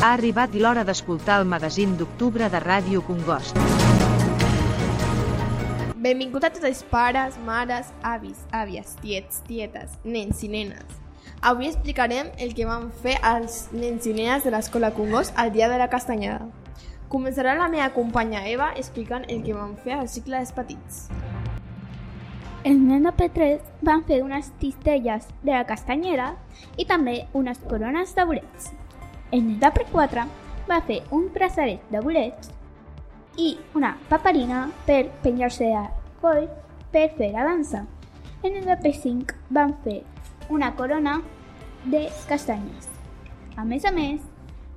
Ha arribat l'hora d'escoltar el magazín d'octubre de Ràdio Congost. Benvingut a tots els pares, mares, avis, àvies, tiets, tietes, nens i nenes. Avui explicarem el que van fer els nens i nenes de l'Escola Congost el dia de la castanyada. Començarà la meva companya Eva explicant el que van fer al cicle dels petits. Els nens de P3 van fer unes cistelles de la castanyera i també unes corones de bolets. El nen de P4 va fer un braçalet de bolets i una paperina per penjar-se al coll per fer la dansa. El nen de P5 van fer una corona de castanyes. A més,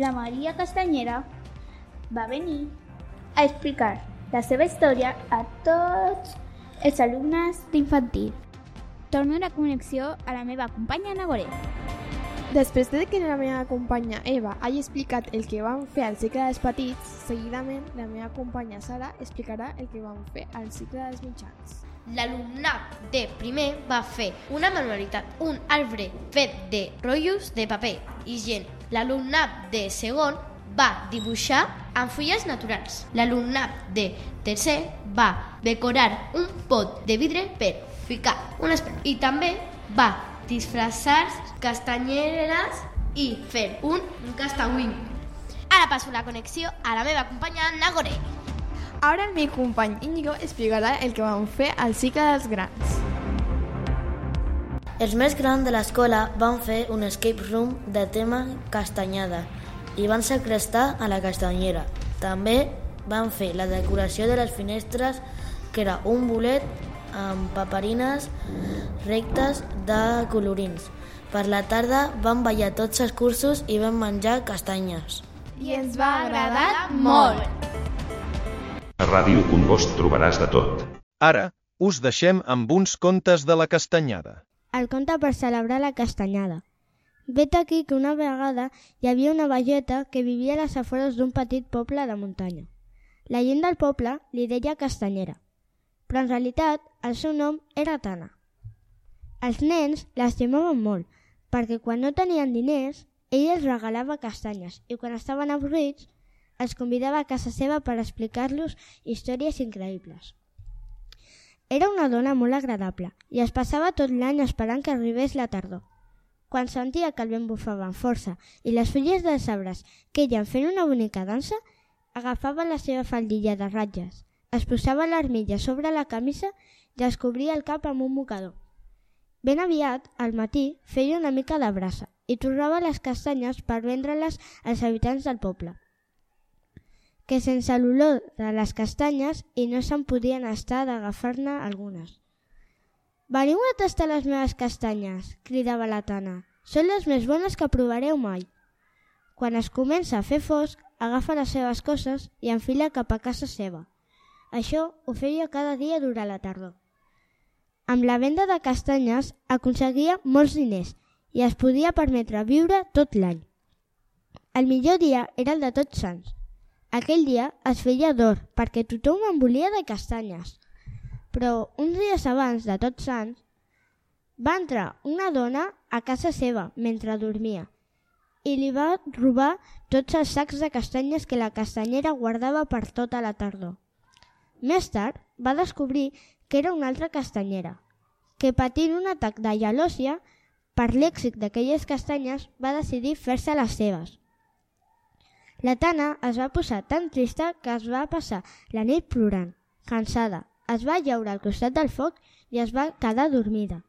la Maria Castanyera va venir a explicar la seva història a tots els alumnes d'infantil. Torno la connexió a la meva companya Nagore. Després de que la meva companya Eva hagi explicat el que van fer al cicle dels petits, seguidament la meva companya Sara explicarà el que van fer al cicle dels mitjans. L'alumnat de primer va fer una manualitat, un arbre fet de rotllos de paper i gent. L'alumnat de segon va dibuixar amb fulles naturals. L'alumnat de tercer va decorar un pot de vidre per ficar un espai. I també va disfressar castanyeres i fer un castawing. Ara passo la connexió a la meva companya Nagore. Ara el meu company Íñigo explicarà el que van fer al cicle dels grans. Els més grans de l'escola van fer un escape room de tema castanyada i van segrestar a la castanyera. També van fer la decoració de les finestres, que era un bolet amb paperines rectes de colorins. Per la tarda van ballar tots els cursos i van menjar castanyes. I ens va agradar molt! A Ràdio Congost trobaràs de tot. Ara us deixem amb uns contes de la castanyada. El conte per celebrar la castanyada. Vet aquí que una vegada hi havia una velleta que vivia a les afores d'un petit poble de muntanya. La gent del poble li deia castanyera, però en realitat el seu nom era Tana. Els nens l'estimaven molt, perquè quan no tenien diners, ell els regalava castanyes i quan estaven avorrits, els convidava a casa seva per explicar-los històries increïbles. Era una dona molt agradable i es passava tot l'any esperant que arribés la tardor. Quan sentia que el vent bufava amb força i les fulles dels arbres queien fent una bonica dansa, agafava la seva faldilla de ratlles, es posava l'armilla sobre la camisa i es cobria el cap amb un mocador. Ben aviat, al matí, feia una mica de brasa i torrava les castanyes per vendre-les als habitants del poble, que sense l'olor de les castanyes i no se'n podien estar d'agafar-ne algunes. «Veniu a tastar les meves castanyes», cridava la Tana. «Són les més bones que provareu mai». Quan es comença a fer fosc, agafa les seves coses i enfila cap a casa seva. Això ho feia cada dia durant la tardor. Amb la venda de castanyes aconseguia molts diners i es podia permetre viure tot l'any. El millor dia era el de Tots Sants. Aquell dia es feia d'or perquè tothom en volia de castanyes. Però uns dies abans de Tots Sants va entrar una dona a casa seva mentre dormia i li va robar tots els sacs de castanyes que la castanyera guardava per tota la tardor. Més tard va descobrir que era una altra castanyera, que patint un atac de gelòsia per l'èxit d'aquelles castanyes va decidir fer-se les seves. La Tana es va posar tan trista que es va passar la nit plorant, cansada. Es va lleure al costat del foc i es va quedar dormida.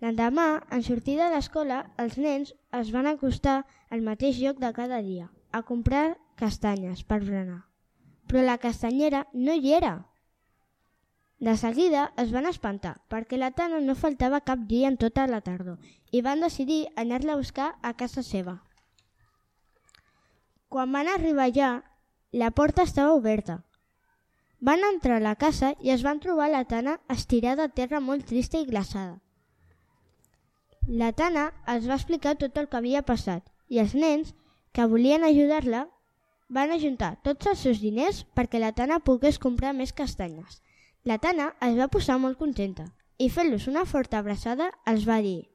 L'endemà, en sortir de l'escola, els nens es van acostar al mateix lloc de cada dia, a comprar castanyes per berenar. Però la castanyera no hi era. De seguida es van espantar, perquè la Tana no faltava cap dia en tota la tardor i van decidir anar-la a buscar a casa seva. Quan van arribar allà, la porta estava oberta. Van entrar a la casa i es van trobar la Tana estirada a terra molt trista i glaçada. La Tana els va explicar tot el que havia passat i els nens, que volien ajudar-la, van ajuntar tots els seus diners perquè la Tana pogués comprar més castanyes. La Tana es va posar molt contenta i fent-los una forta abraçada els va dir: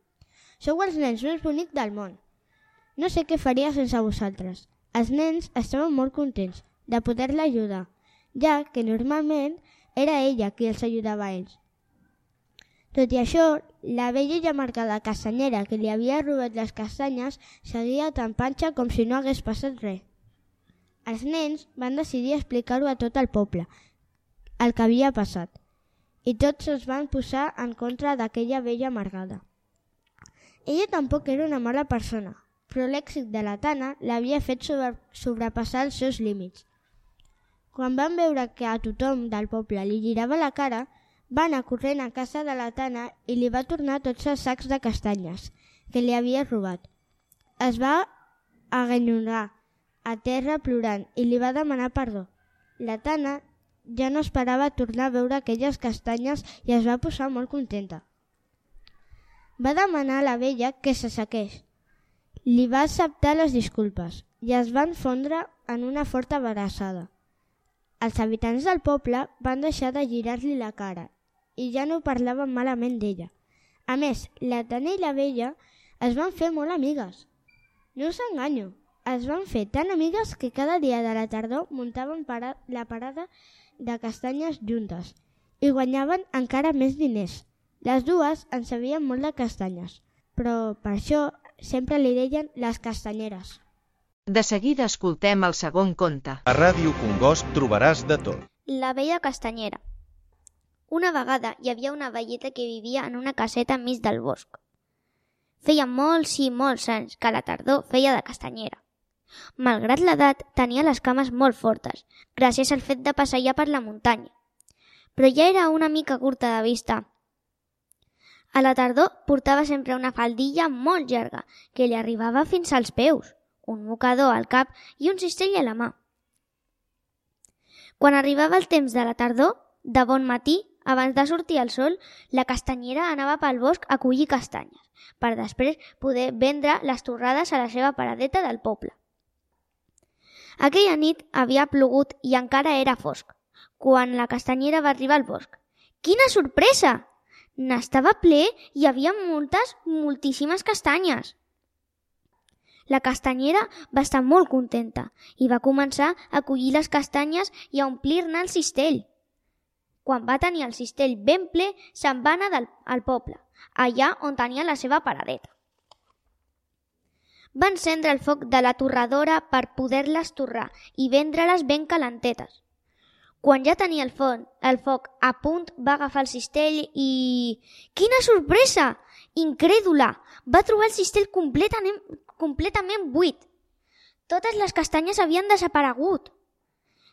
«Sou els nens més bonics del món. No sé què faria sense vosaltres. Els nens estaven molt contents de poder-la ajudar, ja que normalment era ella qui els ajudava a ells. Tot i això, la vella llamarcada castanyera que li havia robat les castanyes seguia tan panxa com si no hagués passat res. Els nens van decidir explicar-ho a tot el poble, el que havia passat, i tots es van posar en contra d'aquella vella amargada. Ella tampoc era una mala persona, però l'èxit de la Tana l'havia fet sobrepassar els seus límits. Quan van veure que a tothom del poble li girava la cara, va anar corrent a casa de la Tana i li va tornar tots els sacs de castanyes que li havia robat. Es va aganyonar a terra plorant i li va demanar perdó. La Tana ja no esperava tornar a veure aquelles castanyes i es va posar molt contenta. Va demanar a la vella que s'assequés. Li va acceptar les disculpes i es van fondre en una forta abraçada. Els habitants del poble van deixar de girar-li la cara i ja no parlaven malament d'ella. A més, la Tana i la vella es van fer molt amigues. No us enganyo, es van fer tan amigues que cada dia de la tardor muntaven la parada de castanyes juntes i guanyaven encara més diners. Les dues en sabien molt de castanyes, però per això sempre li deien les castanyeres. De seguida escoltem el segon conte. A Ràdio Congost trobaràs de tot. La vella castanyera. Una vegada hi havia una velleta que vivia en una caseta enmig del bosc. Feia molts i molts anys que a la tardor feia de castanyera. Malgrat l'edat, tenia les cames molt fortes, gràcies al fet de passejar per la muntanya. Però ja era una mica curta de vista. A la tardor portava sempre una faldilla molt llarga que li arribava fins als peus, un mocador al cap i un cistell a la mà. Quan arribava el temps de la tardor, de bon matí, abans de sortir el sol, la castanyera anava pel bosc a collir castanyes, per després poder vendre les torrades a la seva paradeta del poble. Aquella nit havia plogut i encara era fosc, quan la castanyera va arribar al bosc. Quina sorpresa! N'estava ple i hi havia moltíssimes castanyes. La castanyera va estar molt contenta i va començar a collir les castanyes i a omplir-ne el cistell. Quan va tenir el cistell ben ple, se'n va anar al poble, allà on tenia la seva paradeta. Va encendre el foc de la torradora per poder-les torrar i vendre-les ben calentetes. Quan ja tenia el foc a punt, va agafar el cistell i... Quina sorpresa! Incrèdula! Va trobar el cistell completament buit. Totes les castanyes havien desaparegut.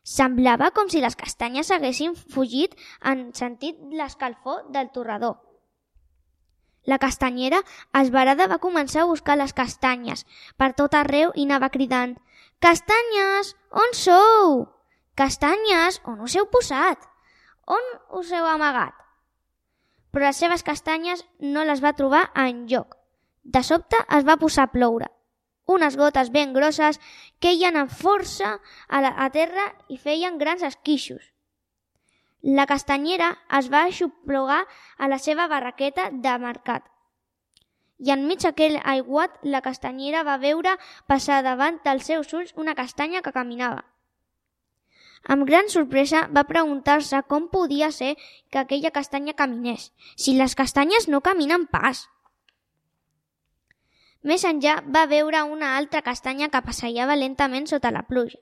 Semblava com si les castanyes haguessin fugit en sentit l'escalfor del torrador. La castanyera, esverada, va començar a buscar les castanyes per tot arreu i anava cridant: «Castanyes, on sou? Castanyes, on us heu posat? On us heu amagat?» Però les seves castanyes no les va trobar enlloc. De sobte es va posar a ploure. Unes gotes ben grosses queien amb força a terra i feien grans esquixos. La castanyera es va aixoplugar a la seva barraqueta de mercat. I enmig d'aquell aiguat, la castanyera va veure passar davant dels seus ulls una castanya que caminava. Amb gran sorpresa va preguntar-se com podia ser que aquella castanya caminés, si les castanyes no caminen pas. Més enllà va veure una altra castanya que passejava lentament sota la pluja.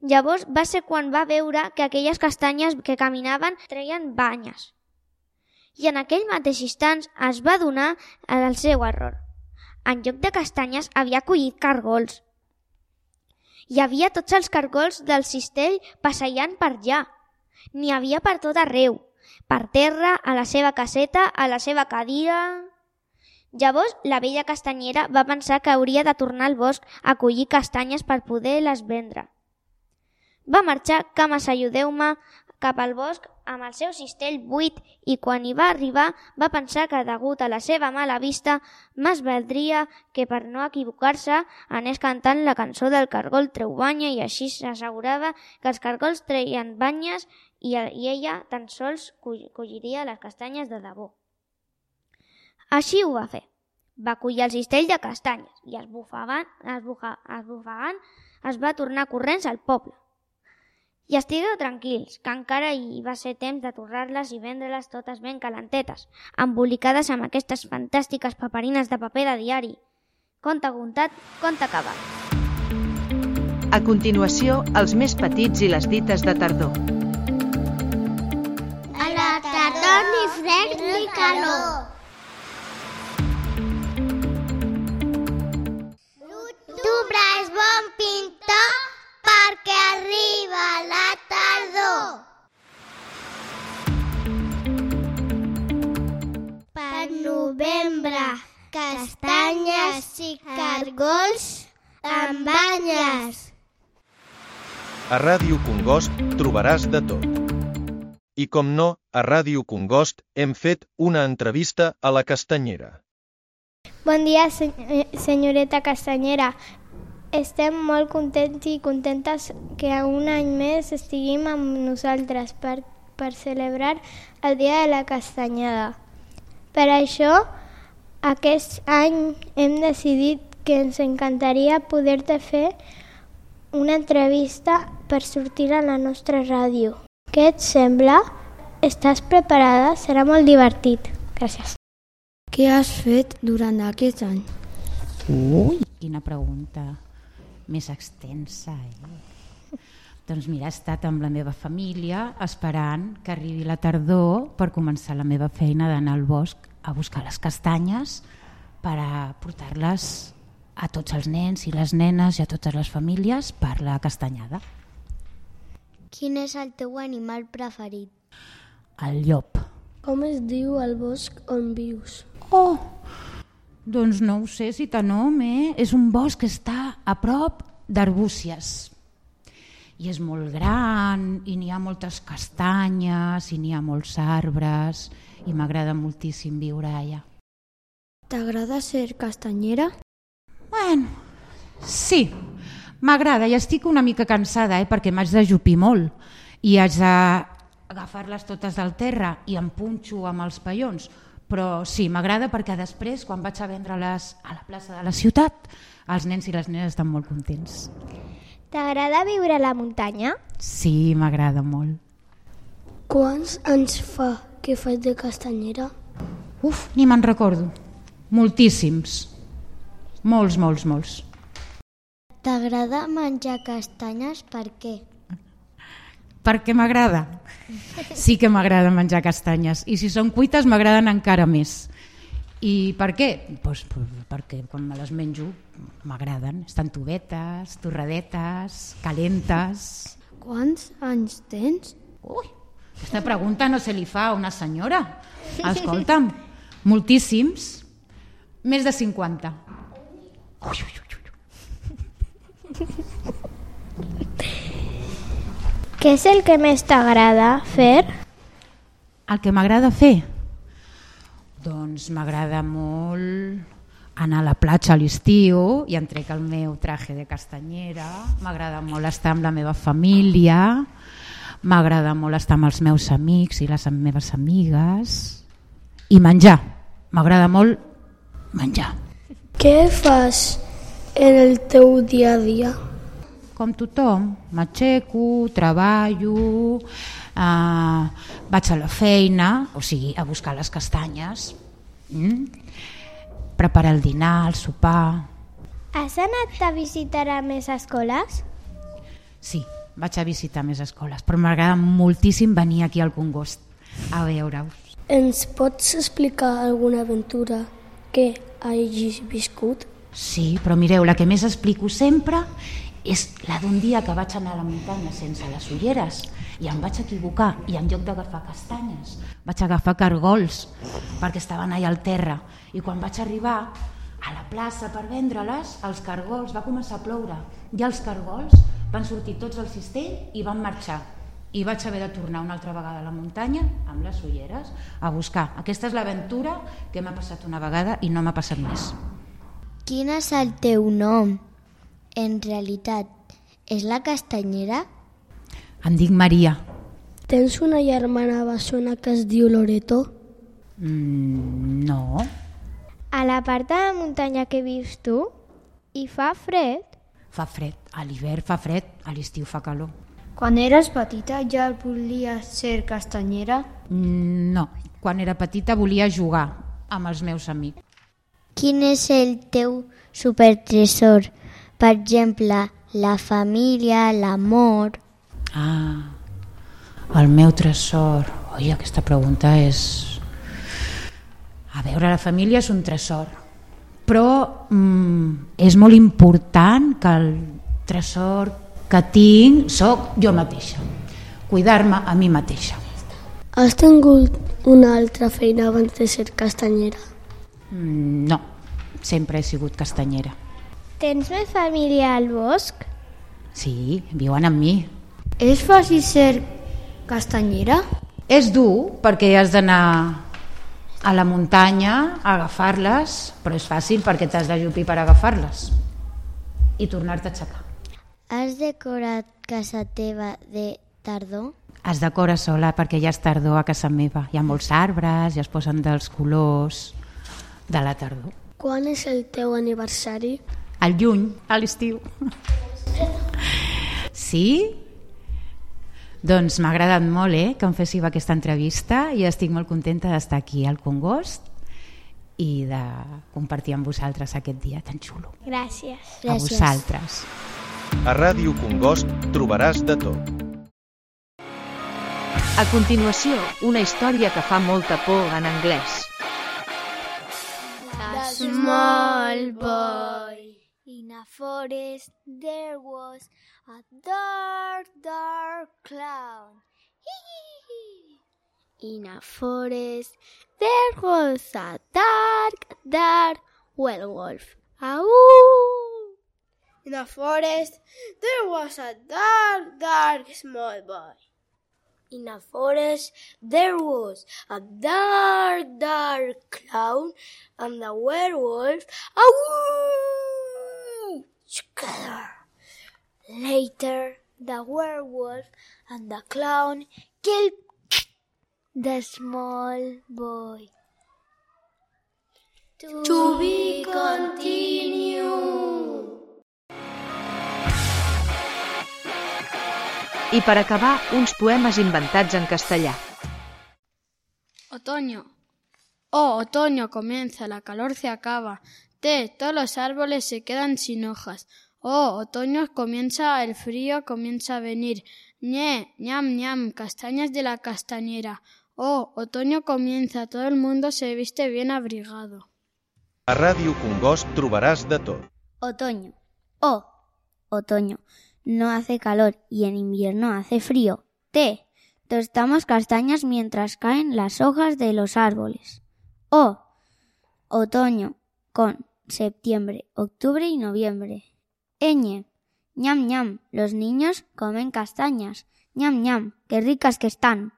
Llavors va ser quan va veure que aquelles castanyes que caminaven treien banyes. I en aquell mateix instant es va adonar del seu error. En lloc de castanyes havia collit cargols. Hi havia tots els cargols del cistell passejant per allà. N'hi havia per tot arreu, per terra, a la seva caseta, a la seva cadira... Llavors, la vella castanyera va pensar que hauria de tornar al bosc a collir castanyes per poder-les vendre. Va marxar, cama s'ajudeu-me, cap al bosc amb el seu cistell buit i quan hi va arribar va pensar que degut a la seva mala vista més valdria que per no equivocar-se anés cantant la cançó del cargol treu banya i així s'assegurava que els cargols treien banyes i ella tan sols colliria les castanyes de debò. Així ho va fer. Va collir el cistell de castanyes i esbufegant es va tornar corrents al poble. I estigueu tranquils, que encara hi va ser temps de torrar-les i vendre-les totes ben calentetes, embolicades amb aquestes fantàstiques paperines de paper de diari. Conte contat, conte acabat. A continuació, els més petits i les dites de tardor. A la tardor ni fred ni calor. L'octubre és bon pintor perquè arriba la tardor. Per novembre, castanyes i cargols amb banyes. A Ràdio Congost trobaràs de tot. I com no, a Ràdio Congost hem fet una entrevista a la castanyera. Bon dia, senyoreta castanyera. Estem molt contents i contentes que un any més estiguem amb nosaltres per celebrar el Dia de la Castanyada. Per això, aquest any hem decidit que ens encantaria poder-te fer una entrevista per sortir a la nostra ràdio. Què et sembla? Estàs preparada? Serà molt divertit. Gràcies. Què has fet durant aquest any? Ui, quina pregunta més extensa, Doncs mira, he estat amb la meva família esperant que arribi la tardor per començar la meva feina d'anar al bosc a buscar les castanyes per a portar-les a tots els nens i les nenes i a totes les famílies per la castanyada. Quin és el teu animal preferit? El llop. Com es diu el bosc on vius? Oh, doncs no ho sé si te nom, És un bosc que està a prop d'Arbúcies. I és molt gran, i n'hi ha moltes castanyes, i n'hi ha molts arbres, i m'agrada moltíssim viure allà. T'agrada ser castanyera? Bueno, sí, m'agrada i estic una mica cansada, perquè m'haig d'ajupir molt i haig d'agafar-les totes del terra i em punxo amb els paions. Però sí, m'agrada perquè després, quan vaig a vendre-les a la plaça de la ciutat, els nens i les nenes estan molt contents. T'agrada viure a la muntanya? Sí, m'agrada molt. Quants anys fa que fas de castanyera? Uf, ni me'n recordo. Moltíssims. Molts. T'agrada menjar castanyes? Per què? Perquè m'agrada. Sí que m'agrada menjar castanyes. I si són cuites m'agraden encara més. I per què? Pues perquè quan me les menjo m'agraden. Estan tovetes, torradetes, calentes. Quants anys tens? Ui, aquesta pregunta no se li fa a una senyora. Escolta'm, moltíssims. Més de 50. Què és el que més t'agrada fer? El que m'agrada fer? Doncs m'agrada molt anar a la platja a l'estiu i em trec el meu traje de castanyera. M'agrada molt estar amb la meva família. M'agrada molt estar amb els meus amics i les meves amigues. I menjar. M'agrada molt menjar. Què fas en el teu dia a dia? Com tothom, m'aixeco, treballo, vaig a la feina, o sigui, a buscar les castanyes, preparar el dinar, el sopar. Has anat a visitar a més escoles? Sí, vaig a visitar més escoles, però m'agrada moltíssim venir aquí al Congost a veure-us. Ens pots explicar alguna aventura que hagis viscut? Sí, però mireu, la que més explico sempre és la d'un dia que vaig anar a la muntanya sense les ulleres i em vaig equivocar i en lloc d'agafar castanyes vaig agafar cargols perquè estaven allà al terra i quan vaig arribar a la plaça per vendre-les, els cargols, va començar a ploure i els cargols van sortir tots al cistell i van marxar i vaig haver de tornar una altra vegada a la muntanya amb les ulleres a buscar. Aquesta és l'aventura que m'ha passat una vegada i no m'ha passat més. Quin és el teu nom? En realitat, és la castanyera? Em dic Maria. Tens una germana bessona que es diu Loreto? No. A la part de la muntanya que vius tu, hi fa fred? Fa fred, a l'hivern fa fred, a l'estiu fa calor. Quan eres petita ja volies ser castanyera? No, quan era petita volia jugar amb els meus amics. Quin és el teu supertresor? Per exemple, la família, l'amor... El meu tresor... Oi, aquesta pregunta és... A veure, la família és un tresor, però és molt important que el tresor que tinc soc jo mateixa, cuidar-me a mi mateixa. Has tingut una altra feina abans de ser castanyera? No, sempre he sigut castanyera. Tens més família al bosc? Sí, viuen amb mi. És fàcil ser castanyera? És dur perquè has d'anar a la muntanya a agafar-les, però és fàcil perquè t'has d'ajupir per agafar-les i tornar-te a aixecar. Has decorat casa teva de tardor? Es decora sola perquè ja és tardor a casa meva. Hi ha molts arbres i es posen dels colors de la tardor. Quan és el teu aniversari? Al juny, a l'estiu. Sí? Doncs m'ha agradat molt que em féssiu aquesta entrevista i estic molt contenta d'estar aquí al Congost i de compartir amb vosaltres aquest dia tan xulo. Gràcies. A vosaltres. A Ràdio Congost trobaràs de tot. A continuació, una història que fa molta por en anglès. The small boy. In a forest there was a dark, dark cloud. In a forest there was a dark, dark werewolf. Ahoo! In a forest there was a dark, dark small boy. In a forest there was a dark, dark clown and a werewolf. Ahoo! Together. Later, the werewolf and the clown killed the small boy. To be continued. I per acabar, uns poemes inventats en castellà. Otoño. Oh, otoño comienza, la calor se acaba. Todos los árboles se quedan sin hojas. Oh, otoño comienza, el frío comienza a venir. Ñe, ñam, ñam, castañas de la castañera. Oh, otoño comienza, todo el mundo se viste bien abrigado. A Ràdio Congost trobaràs de tot. Otoño. Oh, otoño. No hace calor y en invierno hace frío. Tostamos castañas mientras caen las hojas de los árboles. Oh, otoño con septiembre, octubre y noviembre. Ñam, ñam, los niños comen castañas. Ñam, ñam, qué ricas que están.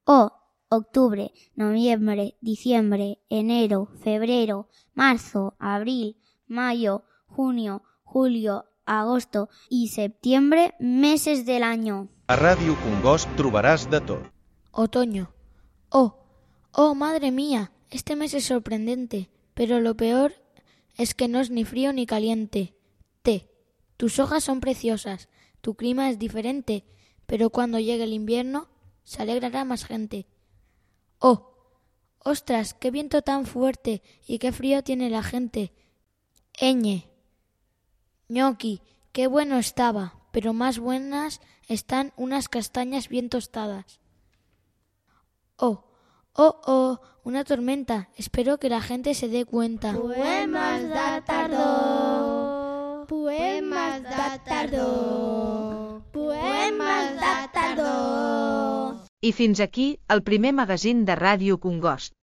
Oh, octubre, noviembre, diciembre, enero, febrero, marzo, abril, mayo, junio, julio, agosto y septiembre, meses del año. A Ràdio Congost trobaràs de tot. Otoño. Oh, madre mía, este mes es sorprendente, pero lo peor es que no es ni frío ni caliente. Tus hojas son preciosas, tu clima es diferente, pero cuando llegue el invierno se alegrará más gente. Oh, ostras, qué viento tan fuerte y qué frío tiene la gente. Ñoqui, qué bueno estaba, pero más buenas están unas castañas bien tostadas. Oh, una tormenta. Espero que la gente se dé cuenta. Poemes de tardor. Poemes de tardor. Poemes de tardor. I fins aquí el primer magazín de Ràdio Congost.